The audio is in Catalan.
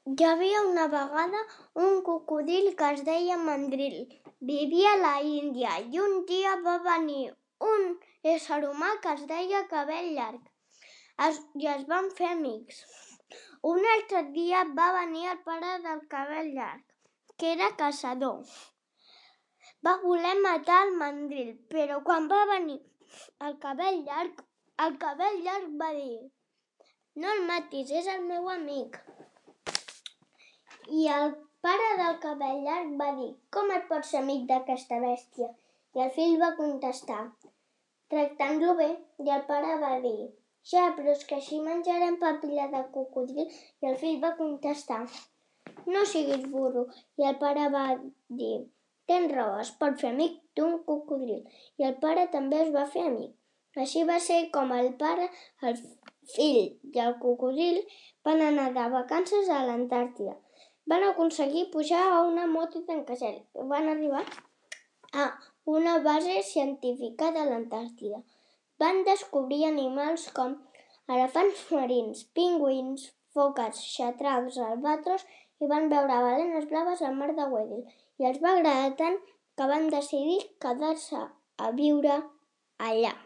Hi havia una vegada un cocodril que es deia Mandril. Vivia a la Índia i un dia va venir un ésser humà que es deia Cabell Llarg i es van fer amics. Un altre dia va venir el pare del Cabell Llarg, que era caçador. Va voler matar el Mandril, però quan va venir el Cabell Llarg va dir: "No el matis, és el meu amic". I el pare del Cabell Llarg va dir: "Com et pots ser amic d'aquesta bèstia?" I el fill va contestar: "Tractant-lo bé". I el pare va dir: "Ja, però és que així menjarem papilla de cocodril". I el fill va contestar: "No siguis burro". I el pare va dir: "Tens raó, es pot fer amic d'un cocodril". I el pare també es va fer amic. Així va ser com el pare, el fill i el cocodril van anar de vacances a l'Antàrtida. Van aconseguir pujar a una moto tancacel i van arribar a una base científica de l'Antàrtida. Van descobrir animals com elefants marins, pingüins, foques, xatracs, albatros i van veure balenes blaves al mar de Weddell. I els va agradar tant que van decidir quedar-se a viure allà.